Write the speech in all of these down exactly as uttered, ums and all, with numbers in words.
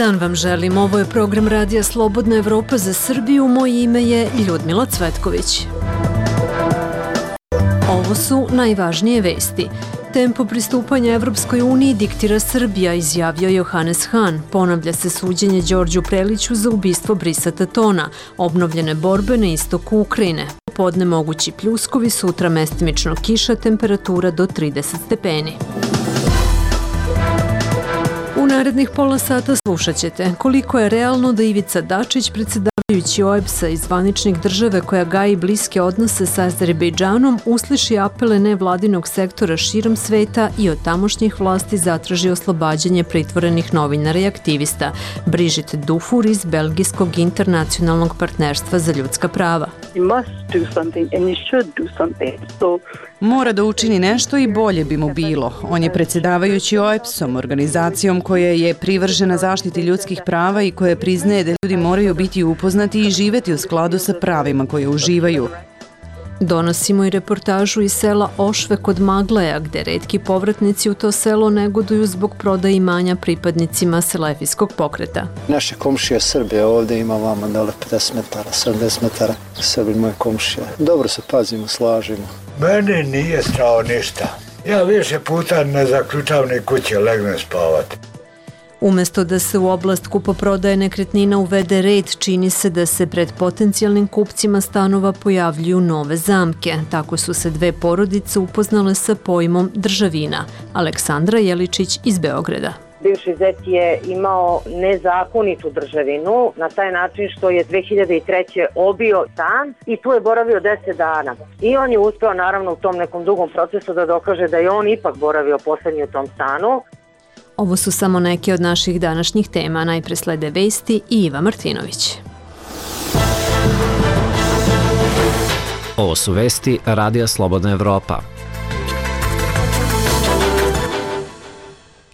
dan vam želim. Ovo je program Radija Slobodna Evropa za Srbiju. Moje ime je Ljudmila Cvetković. Ovo su najvažnije vesti. Tempo pristupanja Evropskoj uniji diktira Srbija, izjavio Johannes Hahn. Ponavlja se suđenje Đorđu Preliću za ubistvo Brisa Tatona. Obnovljene borbe na istoku Ukrajine. Popodne mogući pljuskovi, sutra mestimično kiša, temperatura do trideset stepeni. U narednih pola sata slušat ćete koliko je realno da Ivica Dačić, predsedavajući O E B S-a i zvaničnik države koja gaji bliske odnose sa Azerbejdžanom, usliši apele nevladinog sektora širom sveta i od tamošnjih vlasti zatraži oslobađanje pritvorenih novinara i aktivista. Brigitte Dufour iz Belgijskog internacionalnog partnerstva za ljudska prava. Mora da učini nešto i bolje bi mu bilo. On je predsedavajući O E B S-om, organizacijom koja je privržena zaštiti ljudskih prava i koja priznaje da ljudi moraju biti upoznati i živeti u skladu sa pravima koje uživaju. Donosimo i reportažu iz sela Ošve kod Magleja, gde retki povratnici u to selo negoduju zbog prodaje imanja pripadnicima selefijskog pokreta. Naše komšije Srbije ovdje ima vama dole pedeset metara, sedamdeset metara. Srbi moje komšije. Dobro se pazimo, slažimo. Meni nije strao ništa. Ja više puta ne zaključavam ni kuće, legnem spavati. Umesto da se u oblast kupoprodaje nekretnina uvede red, čini se da se pred potencijalnim kupcima stanova pojavljuju nove zamke. Tako su se dve porodice upoznale sa pojmom državina. Aleksandra Jeličić iz Beograda. Bivši zet je imao nezakonitu državinu na taj način što je dve hiljade treće obio stan i tu je boravio deset dana. I on je uspeo naravno u tom nekom dugom procesu da dokaže da je on ipak boravio poslednji u tom stanu. Ovo su samo neke od naših današnjih tema. Najpre slede vesti i Iva Martinović. Ovo su vesti Radija Slobodna Evropa.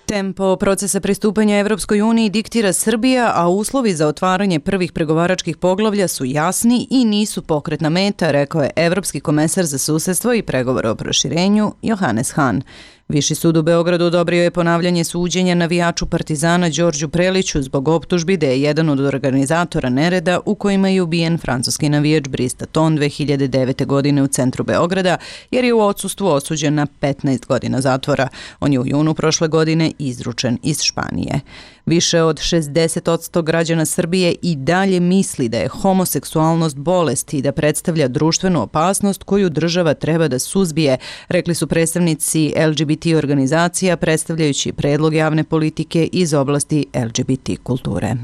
Tempo procesa pristupanja Evropskoj uniji diktira Srbija, a uslovi za otvaranje prvih pregovaračkih poglavlja su jasni i nisu pokretna meta, rekao je Evropski komesar za susedstvo i pregovore o proširenju Johannes Hahn. Viši sud u Beogradu odobrio je ponavljanje suđenja navijaču Partizana Đorđu Preliću zbog optužbi da je jedan od organizatora nereda u kojima je ubijen francuski navijač Bris Taton dve hiljade devete. godine u centru Beograda, jer je u odsustvu osuđen na petnaest godina zatvora. On je u junu prošle godine izručen iz Španije. Više od šezdeset posto građana Srbije i dalje misli da je homoseksualnost bolest i da predstavlja društvenu opasnost koju država treba da suzbije, rekli su predstavnici L G B T organizacija predstavljajući predlog javne politike iz oblasti L G B T kulture.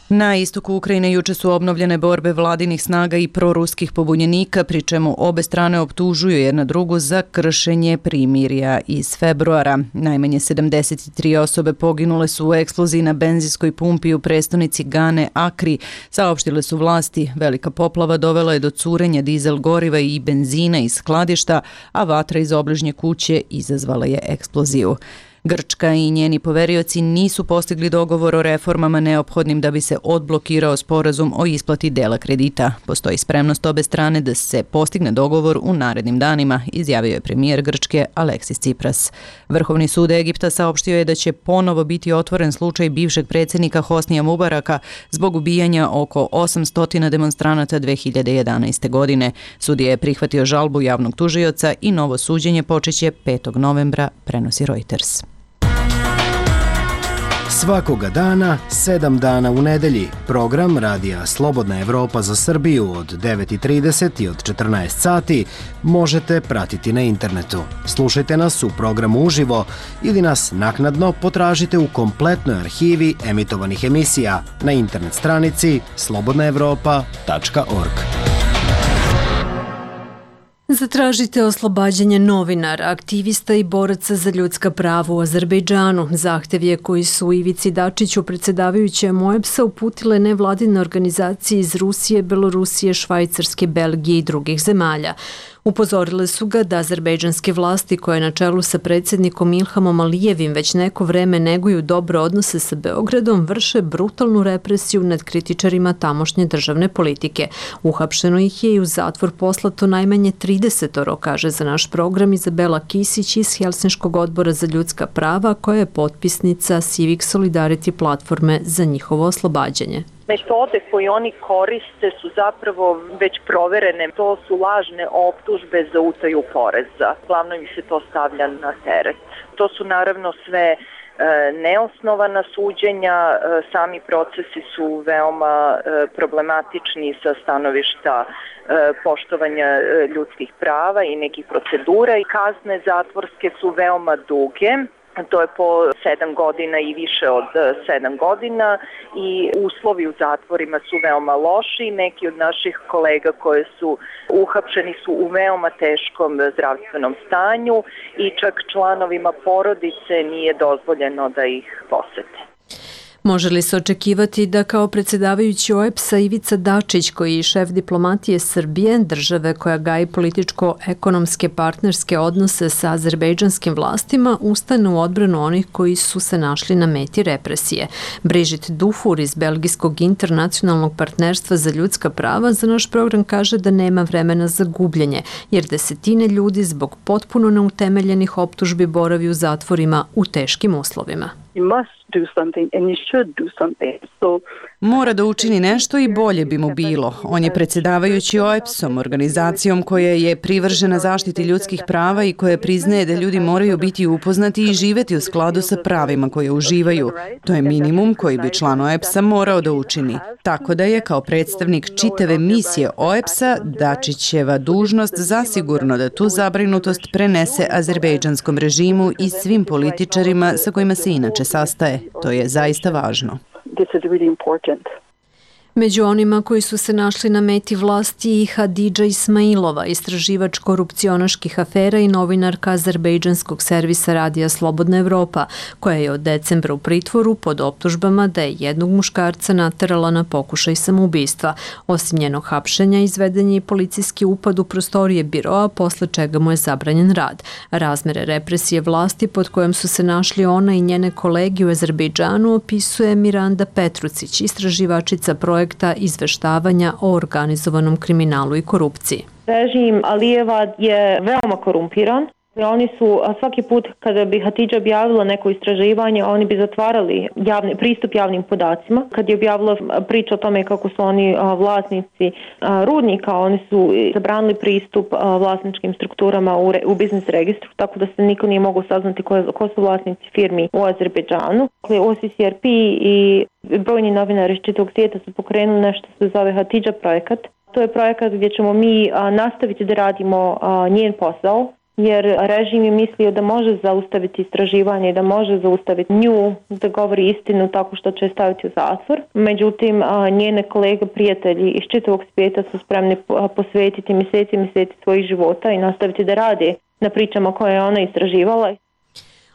Na istoku Ukrajine juče su obnovljene borbe vladinih snaga i proruskih pobunjenika, pri čemu obe strane optužuju jedna drugu za kršenje primirja iz februara. Najmanje sedamdeset tri osobe poginule su u eksploziji na benzinskoj pumpi u prestonici Gane Akri, saopštile su vlasti. Velika poplava dovela je do curenja dizel goriva i benzina iz skladišta, a vatra iz obližnje kuće izazvala je eksploziju. Grčka i njeni poverioci nisu postigli dogovor o reformama neophodnim da bi se odblokirao sporazum o isplati dela kredita. Postoji spremnost obe strane da se postigne dogovor u narednim danima, izjavio je premijer Grčke Aleksis Tsipras. Vrhovni sud Egipta saopštio je da će ponovo biti otvoren slučaj bivšeg predsjednika Hosnija Mubaraka zbog ubijanja oko osamsto demonstranata dve hiljade jedanaeste. godine. Sudija je prihvatio žalbu javnog tužioca i novo suđenje počeće petog novembra, prenosi Reuters. Svakoga dana, sedam dana u nedelji, program Radija Slobodna Evropa za Srbiju od devet i trideset i od četrnaest sati možete pratiti na internetu. Slušajte nas u programu uživo ili nas naknadno potražite u kompletnoj arhivi emitovanih emisija na internet stranici slobodna evropa tačka org. Zatražite oslobađanje novinara, aktivista i boraca za ljudska prava u Azerbejdžanu. Zahtev je koji su Ivici Dačiću, predsedavajućem O E B S-a, uputile nevladine organizacije iz Rusije, Belorusije, Švajcarske, Belgije i drugih zemalja. Upozorile su ga da azerbejdžanske vlasti koje na čelu sa predsjednikom Ilhamom Alijevim već neko vreme neguju dobre odnose sa Beogradom, vrše brutalnu represiju nad kritičarima tamošnje državne politike. Uhapšeno ih je i u zatvor poslato najmanje tridesetoro, kaže za naš program Izabela Kisić iz Helsinškog odbora za ljudska prava, koja je potpisnica Civic Solidarity platforme za njihovo oslobađanje. Metode koje oni koriste su zapravo već proverene. To su lažne optužbe za utaju poreza. Glavno im se to stavlja na teret. To su naravno sve neosnovana suđenja, sami procesi su veoma problematični sa stanovišta poštovanja ljudskih prava i nekih procedura i kazne zatvorske su veoma duge. To je po sedam godina i više od sedam godina i uslovi u zatvorima su veoma loši. Neki od naših kolega koje su uhapšeni su u veoma teškom zdravstvenom stanju i čak članovima porodice nije dozvoljeno da ih posete. Može li se očekivati da kao predsjedavajući O E B S-a Ivica Dačić, koji je šef diplomatije Srbije, države koja gaji političko-ekonomske partnerske odnose sa azerbejdžanskim vlastima, ustane u odbranu onih koji su se našli na meti represije? Brigitte Dufour iz Belgijskog internacionalnog partnerstva za ljudska prava za naš program kaže da nema vremena za gubljenje, jer desetine ljudi zbog potpuno neutemeljenih optužbi boravi u zatvorima u teškim uslovima. Mora da učini nešto i bolje bi mu bilo. On je predsjedavajući O E B S-om, organizacijom koja je privržena zaštiti ljudskih prava i koja priznaje da ljudi moraju biti upoznati i živeti u skladu sa pravima koje uživaju. To je minimum koji bi član O E B S-a morao da učini. Tako da je kao predstavnik čitave misije O E B S-a Dačićeva dužnost zasigurno da tu zabrinutost prenese azerbejdžanskom režimu i svim političarima sa kojima se inače sastaje. To je zaista važno. Među onima koji su se našli na meti vlasti i Hadidža Ismailova, istraživač korupcionaških afera i novinarka azerbejdžanskog servisa Radija Slobodna Evropa, koja je od decembra u pritvoru pod optužbama da je jednog muškarca naterala na pokušaj samoubistva. Osim njenog hapšenja, izveden je i policijski upad u prostorije biroa, posle čega mu je zabranjen rad. Razmere represije vlasti pod kojom su se našli ona i njene kolege u Azerbejdžanu opisuje Miranda Petrucić, istraživačica projekta izveštavanja o organizovanom kriminalu i korupciji. Režim Alijeva je veoma korumpiran. Oni su svaki put kada bi Hatidža objavila neko istraživanje, oni bi zatvarali javni, pristup javnim podacima. Kad je objavila priča o tome kako su oni vlasnici rudnika, oni su zabranili pristup vlasničkim strukturama u, u biznis registru, tako da se niko nije mogao saznati ko, ko su vlasnici firmi u Azerbejdžanu. O C C R P i brojni novinari iz čitavog svijeta su pokrenuli nešto što se zove Hatidža projekat. To je projekat gdje ćemo mi nastaviti da radimo njen posao, jer režim je mislio da može zaustaviti istraživanje i da može zaustaviti nju da govori istinu tako što će staviti u zatvor. Međutim, njene kolege, prijatelji iz čitavog svijeta su spremni posvetiti mjeseci i mjeseci svojih života i nastaviti da rade na pričama koje je ona istraživala.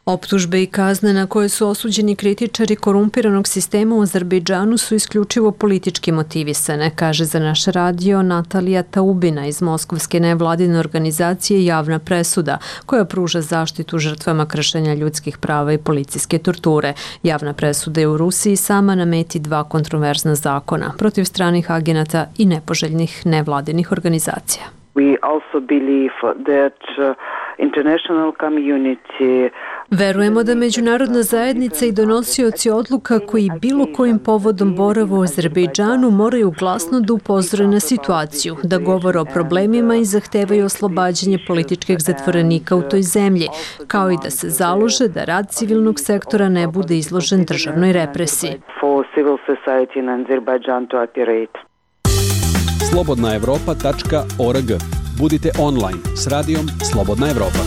Optužbe i kazne na koje su osuđeni kritičari korumpiranog sistema u Azerbejdžanu su isključivo politički motivisane, kaže za naš radio Natalija Taubina iz moskovske nevladine organizacije Javna presuda, koja pruža zaštitu žrtvama kršenja ljudskih prava i policijske torture. Javna presuda je u Rusiji sama na meti dva kontroverzna zakona protiv stranih agenata i nepoželjnih nevladinih organizacija. We also believe that uh, international community Verujemo da međunarodna zajednica i donosioci odluka koji bilo kojim povodom borave u Azerbejdžanu moraju glasno da upozore na situaciju, da govore o problemima i zahtevaju oslobađanje političkih zatvorenika u toj zemlji, kao i da se založe da rad civilnog sektora ne bude izložen državnoj represiji. slobodna evropa tačka org. Budite online s radijom Slobodna Evropa.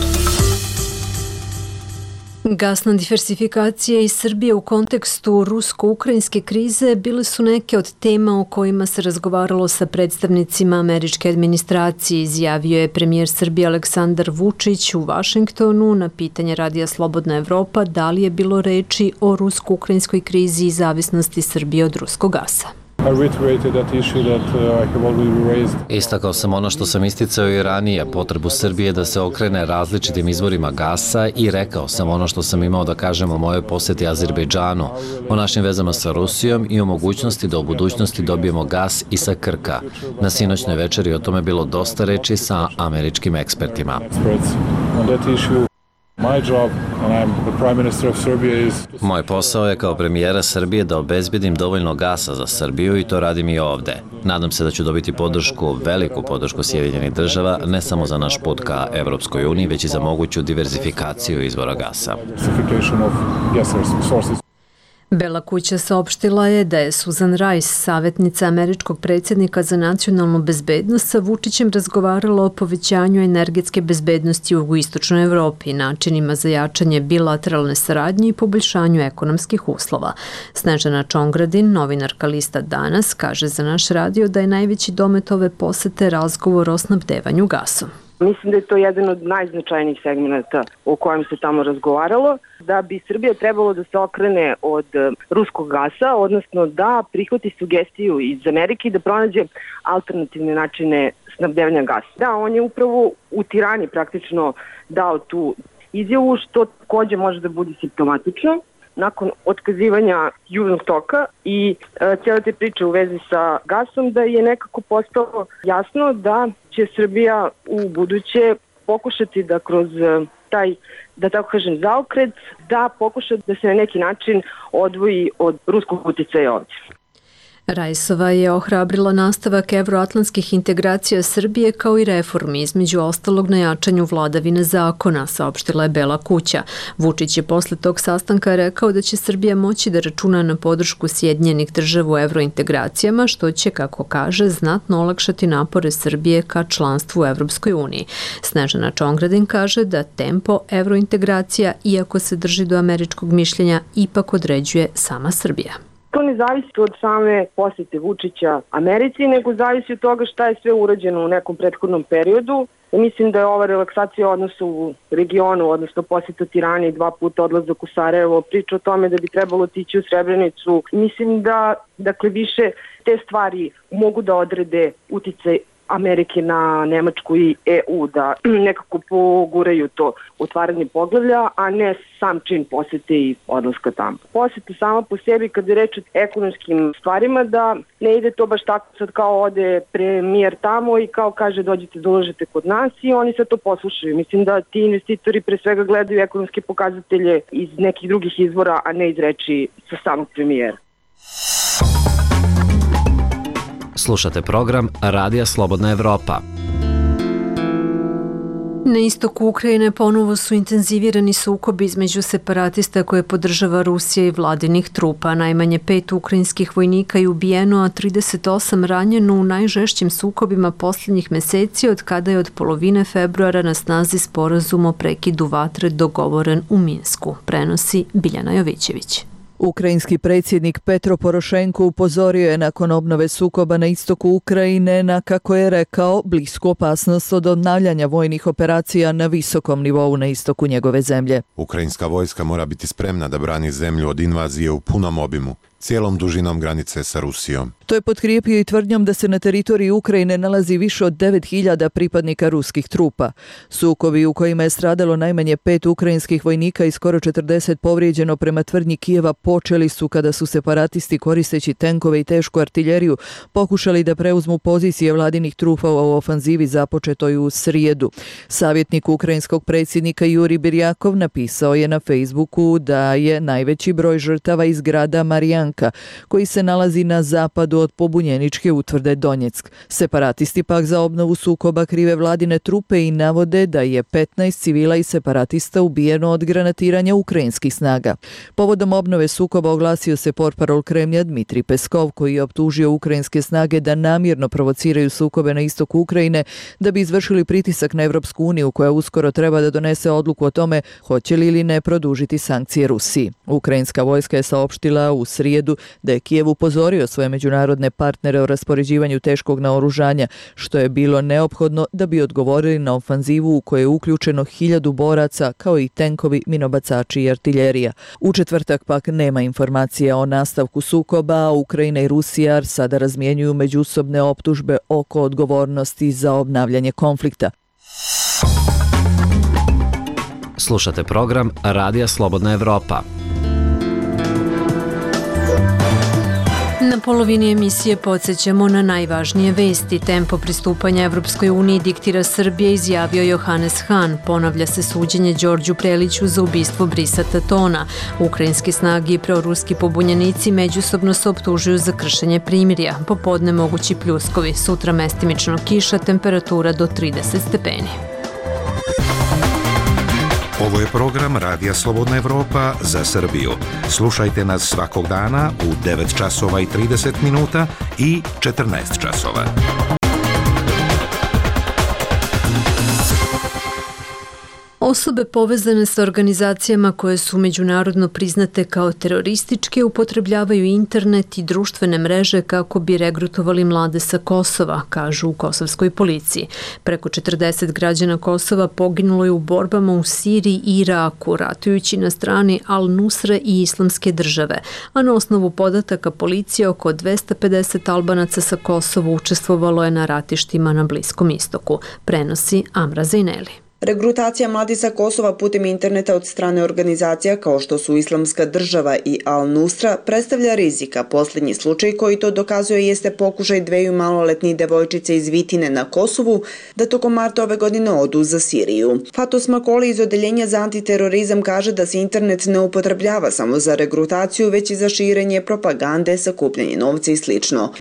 Gasna diversifikacija iz Srbije u kontekstu rusko-ukrajinske krize bile su neke od tema o kojima se razgovaralo sa predstavnicima američke administracije, izjavio je premijer Srbije Aleksandar Vučić u Vašingtonu na pitanje Radija Slobodna Evropa da li je bilo reči o rusko-ukrajinskoj krizi i zavisnosti Srbije od ruskog gasa. Istakao sam ono što sam isticao i ranije, potrebu Srbije da se okrene različitim izvorima gasa i rekao sam ono što sam imao da kažem o mojoj poseti Azerbejdžanu, o našim vezama sa Rusijom i o mogućnosti da u budućnosti dobijemo gas i sa Krka. Na sinoćnoj večeri o tome bilo dosta reči sa američkim ekspertima. Moj posao je kao premijera Srbije da obezbedim dovoljno gasa za Srbiju i to radim i ovde. Nadam se da ću dobiti podršku, veliku podršku Sjedinjenih država, ne samo za naš put ka Evropskoj uniji, već i za moguću diverzifikaciju izvora gasa. Bela kuća saopštila je da je Susan Rice, savjetnica američkog predsjednika za nacionalnu bezbednost, sa Vučićem razgovarala o povećanju energetske bezbednosti u jugoistočnoj Evropi, načinima za jačanje bilateralne saradnje i poboljšanju ekonomskih uslova. Snežana Čongradin, novinarka lista Danas, kaže za naš radio da je najveći domet ove posete razgovor o snabdevanju gasom. Mislim da je to jedan od najznačajnijih segmenta o kojem se tamo razgovaralo, da bi Srbija trebalo da se okrene od ruskog gasa, odnosno da prihvati sugestiju iz Amerike i da pronađe alternativne načine snabdevanja gasa. Da, on je upravo u Tirani praktično dao tu izjavu, što takođe može da bude simptomatično. Nakon otkazivanja Južnog toka i e, cijele te priče u vezi sa gasom, da je nekako postalo jasno da će Srbija u buduće pokušati da kroz taj, da tako kažem, zaokret, da pokuša da se na neki način odvoji od ruskog uticaja ovdje. Rajsova je ohrabrila nastavak evroatlantskih integracija Srbije kao i reformi, između ostalog na jačanju vladavine zakona, saopštila je Bela kuća. Vučić je posle tog sastanka rekao da će Srbija moći da računa na podršku Sjedinjenih država u evrointegracijama, što će, kako kaže, znatno olakšati napore Srbije ka članstvu u Evropskoj uniji. Snežana Čongradin kaže da tempo evrointegracija, iako se drži do američkog mišljenja, ipak određuje sama Srbija. To ne zavisi od same posjete Vučića Americi, nego zavisi od toga šta je sve urađeno u nekom prethodnom periodu. Mislim da je ova relaksacija odnosa u regionu, odnosno posjeta Tirani, dva puta odlazak u Sarajevo, priča o tome da bi trebalo otići u Srebrenicu. Mislim da, dakle, više te stvari mogu da odrede uticaj Amerike na Nemačku i E U, da nekako poguraju to otvaranje poglavlja, a ne sam čin posjete i odlaska tamo. Posjeta sama po sebi, kada je reč o ekonomskim stvarima, da ne ide to baš tako sad kao ode premijer tamo i kao kaže dođite da ulažete kod nas i oni sad to poslušaju. Mislim da ti investitori pre svega gledaju ekonomske pokazatelje iz nekih drugih izvora, a ne iz reči sa samog premijera. Slušate program Radija Slobodna Evropa. Na istoku Ukrajine ponovo su intenzivirani sukobi između separatista koje podržava Rusija i vladinih trupa. Najmanje pet ukrajinskih vojnika je ubijeno, a trideset osam ranjeno u najžešćim sukobima posljednjih meseci od kada je od polovine februara na snazi sporazum o prekidu vatre dogovoren u Minsku, prenosi Biljana Jovićević. Ukrajinski predsjednik Petro Porošenko upozorio je nakon obnove sukoba na istoku Ukrajine na, kako je rekao, blisku opasnost od obnavljanja vojnih operacija na visokom nivou na istoku njegove zemlje. Ukrajinska vojska mora biti spremna da brani zemlju od invazije u punom obimu, cijelom dužinom granice sa Rusijom. To je potkrijepio i tvrdnjom da se na teritoriji Ukrajine nalazi više od devet hiljada pripadnika ruskih trupa. Sukobi u kojima je stradalo najmanje pet ukrajinskih vojnika i skoro četrdeset povrijeđeno prema tvrdnji Kijeva počeli su kada su separatisti koristeći tenkove i tešku artiljeriju pokušali da preuzmu pozicije vladinih trupa u ofanzivi započetoj u srijedu. Savjetnik ukrajinskog predsjednika Juri Birjakov napisao je na Facebooku da je najveći broj žrtava iz grada Marijanka, koji se nalazi na zapadu od pobunjeničke utvrde Donjeck. Separatisti pak za obnovu sukoba krive vladine trupe i navode da je petnaest civila i separatista ubijeno od granatiranja ukrajinskih snaga. Povodom obnove sukoba oglasio se portparol Kremlja Dmitrij Peskov, koji je optužio ukrajinske snage da namjerno provociraju sukobe na istoku Ukrajine da bi izvršili pritisak na Evropsku uniju, koja uskoro treba da donese odluku o tome hoće li ili ne produžiti sankcije Rusiji. Ukrajinska vojska je saopštila u srijedu da je Kijev upozorio svoje međunarodne međunarodne partnere o raspoređivanju teškog naoružanja, što je bilo neophodno da bi odgovorili na ofanzivu u kojoj je uključeno hiljadu boraca, kao i tenkovi, minobacači i artiljerija. U četvrtak pak nema informacija o nastavku sukoba, a Ukrajina i Rusija sada razmjenjuju međusobne optužbe oko odgovornosti za obnavljanje konflikta. Slušate program Radija Slobodna Evropa. Na polovini emisije podsjećamo na najvažnije vesti. Tempo pristupanja Evropskoj uniji diktira Srbije, izjavio Johannes Hahn. Ponavlja se suđenje Đorđu Preliću za ubistvo Brisa Tatona. Ukrajinski snage i proruski pobunjenici međusobno se optužuju za kršenje primirja. Popodne mogući pljuskovi, sutra mestimično kiša, temperatura do trideset stepeni. Ovo je program Radija Slobodna Evropa za Srbiju. Slušajte nas svakog dana u devet časova i trideset minuta i četrnaest časova. Osobe povezane sa organizacijama koje su međunarodno priznate kao terorističke upotrebljavaju internet i društvene mreže kako bi regrutovali mlade sa Kosova, kažu u kosovskoj policiji. Preko četrdeset građana Kosova poginulo je u borbama u Siriji i Iraku, ratujući na strani Al-Nusre i Islamske države, a na osnovu podataka policije oko dvesta pedeset Albanaca sa Kosova učestvovalo je na ratištima na Bliskom istoku, prenosi Amra Zejneli. Regrutacija mladih sa Kosova putem interneta od strane organizacija kao što su Islamska država i Al-Nusra predstavlja rizika. Posljednji slučaj koji to dokazuje jeste pokušaj dveju maloletnih devojčice iz Vitine na Kosovu da tokom marta ove godine odu za Siriju. Fatos Makoli iz Odeljenja za antiterorizam kaže da se internet ne upotrebljava samo za regrutaciju, već i za širenje propagande, sakupljanje novca i slično.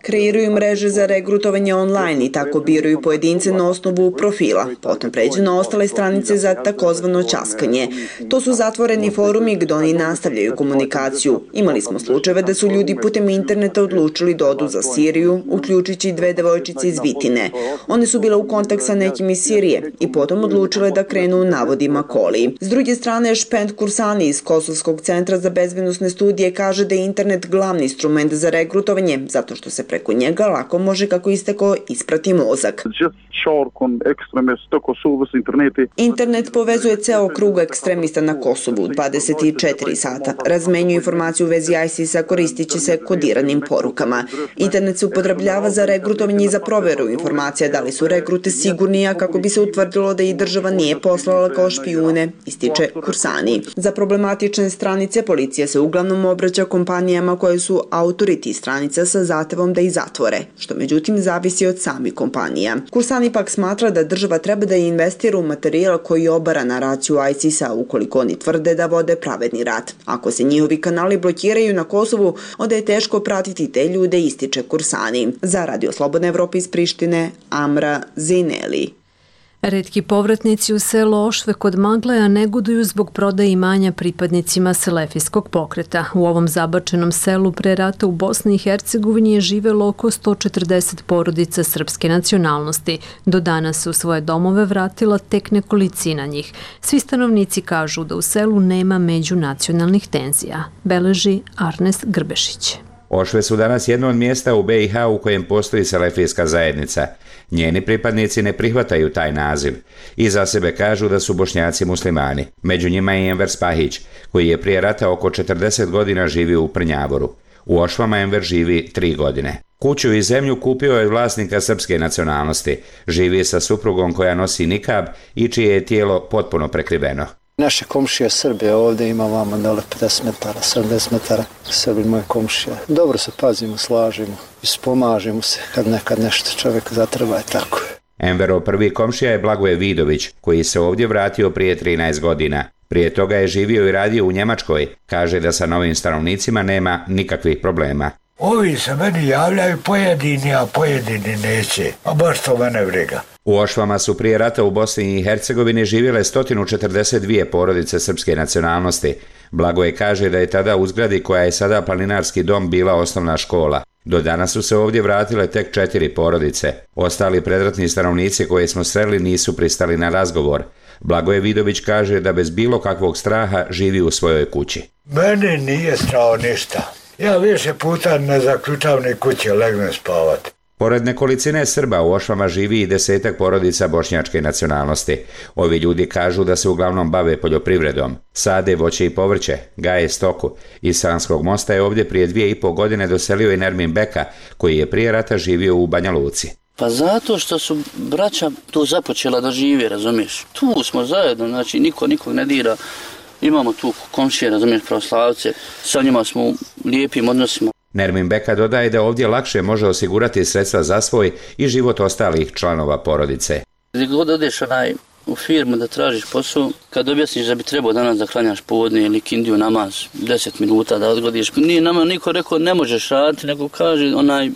Kreiraju mreže za regrutovanje online i tako biraju pojedince na osnovu profila. Potom pređu na ostale stranice za takozvano ćaskanje. To su zatvoreni forumi gdje oni nastavljaju komunikaciju. Imali smo slučajeve da su ljudi putem interneta odlučili da odu za Siriju, uključujući dve devojčice iz Vitine. One su bile u kontakt sa nekim iz Sirije i potom odlučile da krenu u navodima Koli. S druge strane, Špend Kursani iz Kosovskog centra za bezbednosne studije kaže da je internet glavni instrument za regrutovanje, zato što se preko njega lako može, kako isteko, isprati mozak. Internet povezuje ceo krug ekstremista na Kosovu dvadeset četiri sata. Razmenjuje informaciju u vezi ISIS-a koristići se kodiranim porukama. Internet se upotrebljava za regrutovanje i za proveru informacija da li su regrute sigurni, a kako bi se utvrdilo da ih država nije poslala kao špijune, ističe Kursani. Za problematične stranice policija se uglavnom obraća kompanijama koje su autoriti stranica sa zahtevom da ih zatvore, što međutim zavisi od samih kompanija. Kursani pak smatra da država treba da investira u materijal koji obara naraciju ISIS-a ukoliko oni tvrde da vode pravedni rat. Ako se njihovi kanali blokiraju na Kosovu, onda je teško pratiti te ljude, ističe Kursani. Za Radio Slobodna Evropa iz Prištine, Amra Zejneli. Retki povratnici u selo Ošve kod Magleja negoduju zbog prodaje imanja pripadnicima selefijskog pokreta. U ovom zabačenom selu pre rata u Bosni i Hercegovini je živelo oko sto četrdeset porodica srpske nacionalnosti. Do danas se u svoje domove vratila tek nekolicina njih. Svi stanovnici kažu da u selu nema međunacionalnih tenzija, beleži Arnes Grbešić. Ošve su danas jedno od mjesta u be i ha u kojem postoji selefijska zajednica. Njeni pripadnici ne prihvataju taj naziv i za sebe kažu da su Bošnjaci muslimani. Među njima je Enver Spahić, koji je prije rata oko četrdeset godina živio u Prnjavoru. U Ošvama Enver živi tri godine. Kuću i zemlju kupio je vlasnika srpske nacionalnosti. Živi sa suprugom koja nosi nikab i čije je tijelo potpuno prekriveno. Naše komšije Srbije ovdje ima vama dole pedeset metara, sedamdeset metara. Srbi moje komšije. Dobro se pazimo, slažimo i spomažimo se kad nekad nešto čovjek zatreba je tako. Enverov prvi komšija je Blagoje Vidović, koji se ovdje vratio prije trinaest godina. Prije toga je živio i radio u Njemačkoj. Kaže da sa novim stanovnicima nema nikakvih problema. Ovi se meni javljaju pojedini, a pojedini neće. A baš to mene briga. U Ošvama su prije rata u Bosni i Hercegovini živjele sto četrdeset dvije porodice srpske nacionalnosti. Blagoje kaže da je tada u zgradi koja je sada planinarski dom bila osnovna škola. Do danas su se ovdje vratile tek četiri porodice. Ostali predratni stanovnici koje smo sreli nisu pristali na razgovor. Blagoje Vidović kaže da bez bilo kakvog straha živi u svojoj kući. Meni nije strao ništa. Ja više puta ne zaključam ni kuće, legnem spavat. Pored nekolicine Srba u Ošvama živi i desetak porodica bošnjačke nacionalnosti. Ovi ljudi kažu da se uglavnom bave poljoprivredom, sade voće i povrće, gaje stoku. Iz Sanskog Mosta je ovdje prije dvije i po godine doselio i Nermin Beka, koji je prije rata živio u Banja Luci. Pa zato što su braća tu započela da žive, razumiješ. Tu smo zajedno, znači niko nikog ne dira. Imamo tu komšije, razumiješ, pravoslavce, sa njima smo u lijepim odnosima. Nermin Beka dodaje da ovdje lakše može osigurati sredstva za svoj i život ostalih članova porodice. Gdje god odeš onaj u firmu da tražiš posao, kad objasniš da bi trebao danas da klanjaš povodne ili kindiju namaz, deset minuta da odgodiš, nije nama niko rekao ne možeš raditi, nego kaže onaj,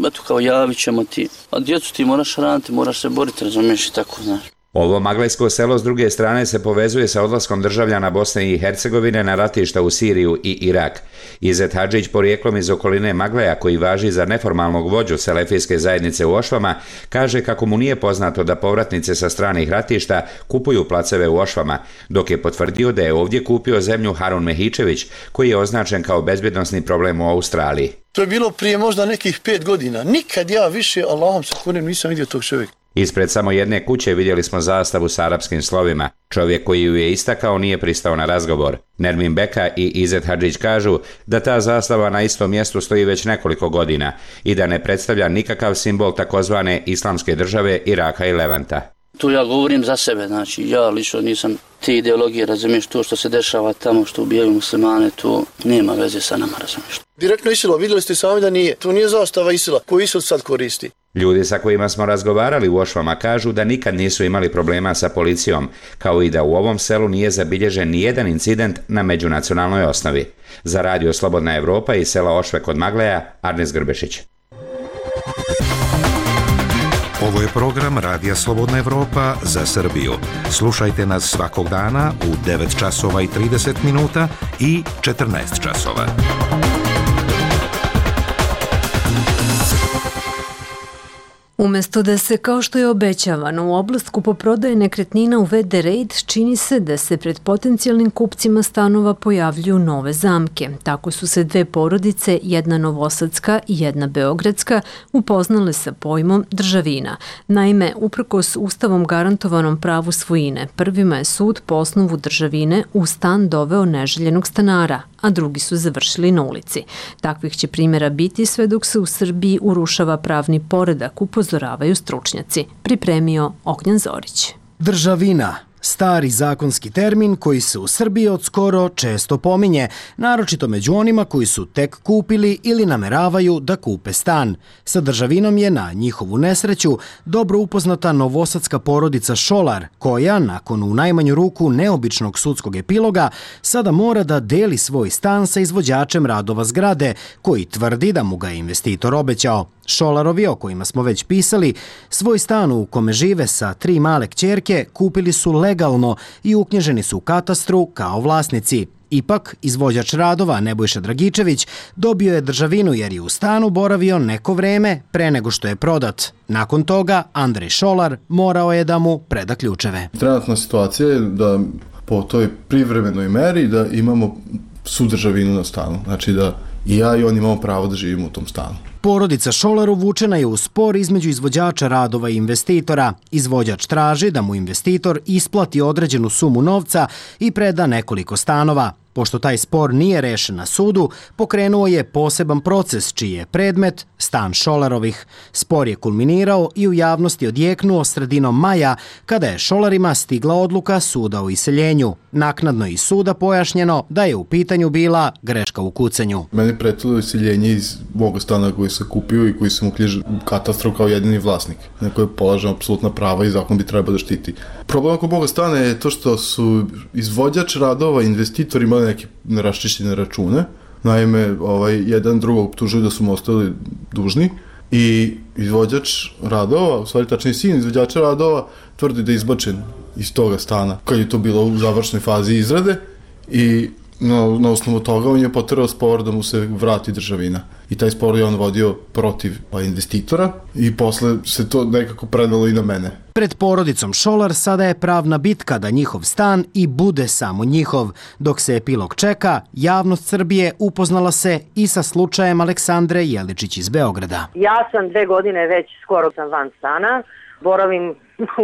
eto kao javit ćemo ti, a djecu ti moraš raditi, moraš se boriti, razumiješ i tako, znaš. Ovo maglajsko selo s druge strane se povezuje sa odlaskom državljana Bosne i Hercegovine na ratišta u Siriju i Irak. Izet Hadžić, porijeklom iz okoline Maglaja, koji važi za neformalnog vođu selefijske zajednice u Ošvama, kaže kako mu nije poznato da povratnice sa stranih ratišta kupuju placeve u Ošvama, dok je potvrdio da je ovdje kupio zemlju Harun Mehičević, koji je označen kao bezbjednosni problem u Australiji. To je bilo prije možda nekih pet godina. Nikad ja više, Allahom se kunem, nisam vidio tog čovjeka. Ispred samo jedne kuće vidjeli smo zastavu s arapskim slovima. Čovjek koji ju je istakao nije pristao na razgovor. Nermin Beka i Izet Hadžić kažu da ta zastava na istom mjestu stoji već nekoliko godina i da ne predstavlja nikakav simbol takozvane islamske države Iraka i Levanta. Tu ja govorim za sebe, znači ja lično nisam te ideologije, razumiješ, to što se dešava tamo, što ubijaju muslimane, to nema veze sa nama, razumiješ. Direktno Isila, vidjeli ste sami da nije. To nije zastava Isila, koju Isil sad koristi. Ljudi sa kojima smo razgovarali u Ošvama kažu da nikad nisu imali problema sa policijom, kao i da u ovom selu nije zabilježen nijedan incident na međunacionalnoj osnovi. Za radio Slobodna Evropa iz sela Ošve kod Magleja, Arnes Grbešić. Ovo je program Radija Slobodna Evropa za Srbiju. Slušajte nas svakog dana u devet časova i trideset minuta i četrnaest časova. Umjesto da se, kao što je obećavano, u oblast kupoprodaje nekretnina uvede red, čini se da se pred potencijalnim kupcima stanova pojavljuju nove zamke. Tako su se dve porodice, jedna novosadska i jedna beogradska, upoznale sa pojmom državina. Naime, uprkos ustavom garantovanom pravu svojine, prvima je sud po osnovu državine u stan doveo neželjenog stanara, a drugi su završili na ulici. Takvih će primjera biti sve dok se u Srbiji urušava pravni poredak, upozoravaju stručnjaci. Pripremio Ognjan Zorić. Državina, stari zakonski termin koji se u Srbiji od skoro često pominje, naročito među onima koji su tek kupili ili nameravaju da kupe stan. Sa državinom je na njihovu nesreću dobro upoznata novosadska porodica Šolar, koja, nakon u najmanju ruku neobičnog sudskog epiloga, sada mora da deli svoj stan sa izvođačem radova zgrade, koji tvrdi da mu ga je investitor obećao. Šolarovi, o kojima smo već pisali, svoj stan u kome žive sa tri male kćerke kupili su legalno i uknjiženi su u katastru kao vlasnici. Ipak, izvođač radova Nebojša Dragičević dobio je državinu jer je u stanu boravio neko vreme pre nego što je prodat. Nakon toga, Andrej Šolar morao je da mu preda ključeve. Trenutna situacija je da po toj privremenoj meri da imamo sudržavinu na stanu. Znači da i ja i on imamo pravo da živimo u tom stanu. Porodica Šolar uvučena je u spor između izvođača radova i investitora. Izvođač traži da mu investitor isplati određenu sumu novca i preda nekoliko stanova. Pošto taj spor nije rešen na sudu, pokrenuo je poseban proces čiji je predmet stan Šolarovih. Spor je kulminirao i u javnosti odjeknuo sredinom maja, kada je Šolarima stigla odluka suda o iseljenju. Naknadno iz suda pojašnjeno da je u pitanju bila greška u kucanju. Meni pretilo iseljenje iz moga stana koji sam kupio i koji sam uknjižio u katastru kao jedini vlasnik, na koje polažem apsolutna prava i zakon bi trebao da štiti. Problem oko moga stana je to što su izvođač radova i investitori imali neke neraščišćene račune. Naime, ovaj, jedan drugog optužuju da su mu ostali dužni i izvođač radova, u stvari tačnije sin izvođača radova, tvrdi da je izbačen iz toga stana kad je to bilo u završnoj fazi izrade i na, na osnovu toga on je poterao spor da mu se vrati državina. I taj spor je on vodio protiv investitora i posle se to nekako predalo i na mene. Pred porodicom Šolar sada je pravna bitka da njihov stan i bude samo njihov. Dok se epilog čeka, javnost Srbije upoznala se i sa slučajem Aleksandre Jeličić iz Beograda. Ja sam dve godine već skoro sam van stana, boravim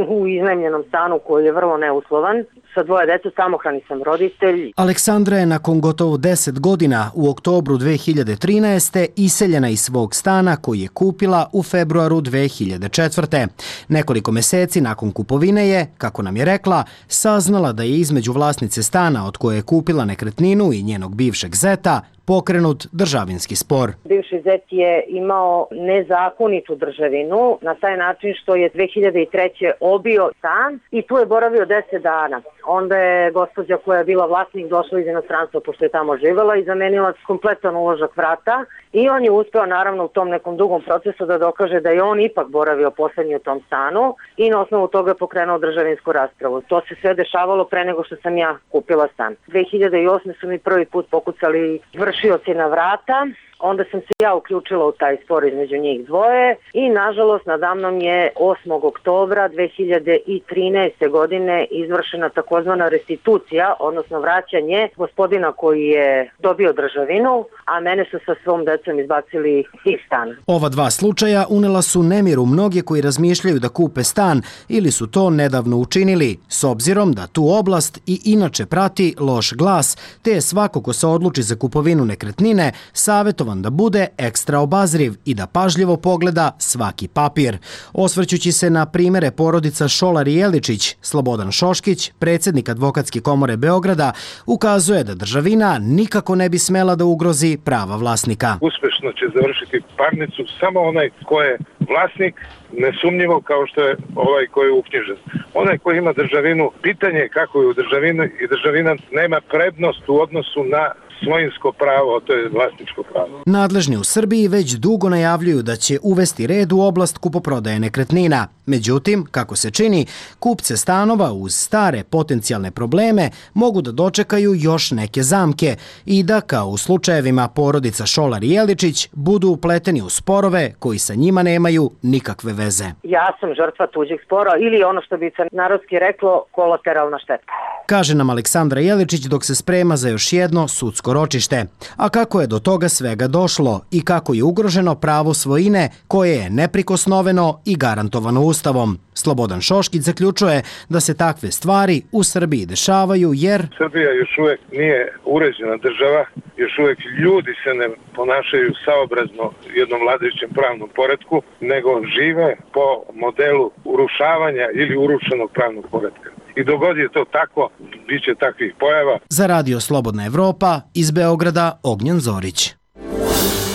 u iznajmljenom stanu koji je vrlo neuslovan. Sa dvoje dece, samohrani sam roditelj. Aleksandra je nakon gotovo deset godina u oktobru dve hiljade trinaeste. iseljena iz svog stana koji je kupila u februaru dve hiljade četvrte. Nekoliko meseci nakon kupovine je, kako nam je rekla, saznala da je između vlasnice stana od koje je kupila nekretninu i njenog bivšeg zeta pokrenut državinski spor. Bivši zet je imao nezakonitu državinu na taj način što je dve hiljade treće. obio stan i tu je boravio deset dana. Onda je gospođa koja je bila vlasnik došla iz inostranstva pošto je tamo živela i zamenila kompletan uložak vrata i on je uspeo naravno u tom nekom dugom procesu da dokaže da je on ipak boravio poslednji u tom stanu i na osnovu toga je pokrenuo državinsku raspravu. To se sve dešavalo pre nego što sam ja kupila stan. dve hiljade osme. su mi prvi put pokucali vršioci na vrata. Onda sam se ja uključila u taj spor između njih dvoje i nažalost nadamnom je osmog oktobra dve hiljade trinaeste. godine izvršena takozvana restitucija, odnosno vraćanje gospodina koji je dobio državinu, a mene su sa svom decom izbacili iz stana. Ova dva slučaja unela su nemir u mnoge koji razmišljaju da kupe stan ili su to nedavno učinili, s obzirom da tu oblast i inače prati loš glas, te je svako ko se odluči za kupovinu nekretnine savjetovan da bude ekstra obazriv i da pažljivo pogleda svaki papir. Osvrćući se na primere porodica Šolar i Jeličić, Slobodan Šoškić, predsjednik Advokatske komore Beograda, ukazuje da državina nikako ne bi smela da ugrozi prava vlasnika. Uspešno će završiti parnicu samo onaj ko je vlasnik, nesumnjivo kao što je ovaj koji je uknjižen. Onaj koji ima državinu, pitanje je kako je u državini i državina nema prednost u odnosu na svojinsko pravo, to je vlasničko pravo. Nadležni u Srbiji već dugo najavljuju da će uvesti red u oblast kupoprodaje nekretnina. Međutim, kako se čini, kupce stanova uz stare potencijalne probleme mogu da dočekaju još neke zamke i da, kao u slučajevima porodica Šolar i Jeličić, budu upleteni u sporove koji sa njima nemaju nikakve veze. Ja sam žrtva tuđeg spora ili ono što bi se narodski reklo kolateralna šteta. Kaže nam Aleksandra Jeličić dok se sprema za još jedno sudsko ročište. A kako je do toga svega došlo i kako je ugroženo pravo svojine koje je neprikosnoveno i garantovano Ustavom. Slobodan Šoškić zaključuje da se takve stvari u Srbiji dešavaju jer Srbija još uvek nije uređena država, još uvek ljudi se ne ponašaju saobrazno jednom vladajućem pravnom poretku, nego žive po modelu urušavanja ili urušenog pravnog poretka. I dogod je to tako, bit će takvih pojava. Za Radio Slobodna Evropa iz Beograda Ognjen Zorić.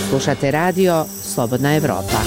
Slušate Radio Slobodna Evropa.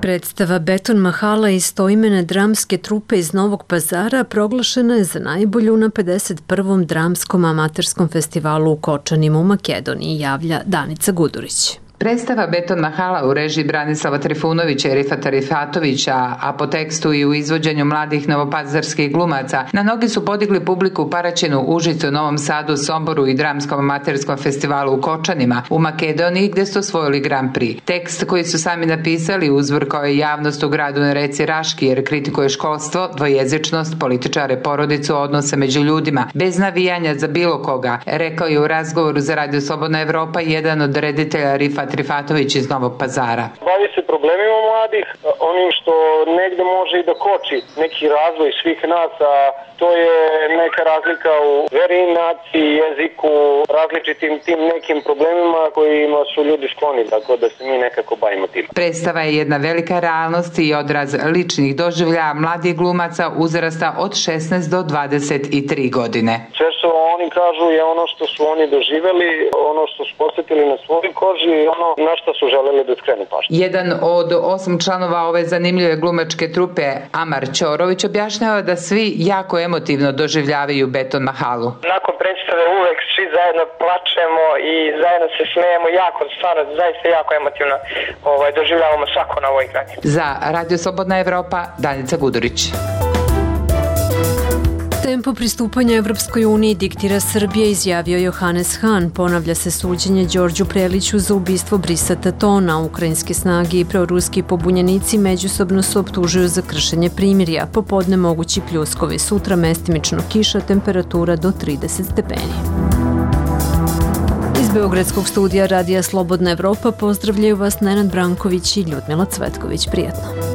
Predstava Beton Mahala i stoimene dramske trupe iz Novog Pazara proglašena je za najbolju na pedeset prvom dramskom amaterskom festivalu u Kočanima u Makedoniji, javlja Danica Gudurić. Predstava Beton Mahala u režiji Branislava Trifunovića i Rifata Rifatovića, a po tekstu i u izvođenju mladih novopazarskih glumaca, na nogi su podigli publiku u Paraćinu, Užicu, Novom Sadu, Somboru i dramskom amaterskom festivalu u Kočanima, u Makedoniji gde su osvojili Grand Prix. Tekst koji su sami napisali uzvrkao je javnost u gradu na reci Raški jer kritikuje školstvo, dvojezičnost, političare, porodicu, odnose među ljudima, bez navijanja za bilo koga, rekao je u razgovoru za Radio Slobodna Evropa jedan od reditelja Rifat Rifatović iz Novog Pazara. Bavi se problemima mladih, onim što negde može i da koči neki razvoj svih nas, a to je neka razlika u veri, naciji, jeziku, različitim tim nekim problemima kojima su ljudi skloni, tako da se mi nekako bavimo tim. Predstava je jedna velika realnost i odraz ličnih doživljaja mladih glumaca uzrasta od šesnaest do dvadeset tri godine. Sve što oni kažu je ono što su oni doživeli, ono što su posjetili na svojoj koži i ono na što su želeli da skrenu pažnju. Jedan od osam članova ove zanimljive glumačke trupe, Amar Ćorović, objašnjava da svi jako emotivno doživljavaju Beton Mahalu. Nakon predstave uvek svi zajedno plačemo i zajedno se smejemo jako, stvarno, zaista jako emotivno ovaj, doživljavamo svako na ovoj igrani. Za Radio Slobodna Evropa, Danica Gudurić. Tempo pristupanja Evropskoj uniji diktira Srbija, izjavio Johannes Hahn. Ponavlja se suđenje Đorđu Preliću za ubistvo Brisa Tatona. Ukrajinske snage i proruski pobunjenici međusobno se optužuju za kršenje primirja. Popodne mogući pljuskovi, sutra mestimično kiša, temperatura do trideset stepeni. Iz Beogradskog studija Radija Slobodna Evropa pozdravljaju vas Nenad Branković i Ljudmila Cvetković. Prijetno.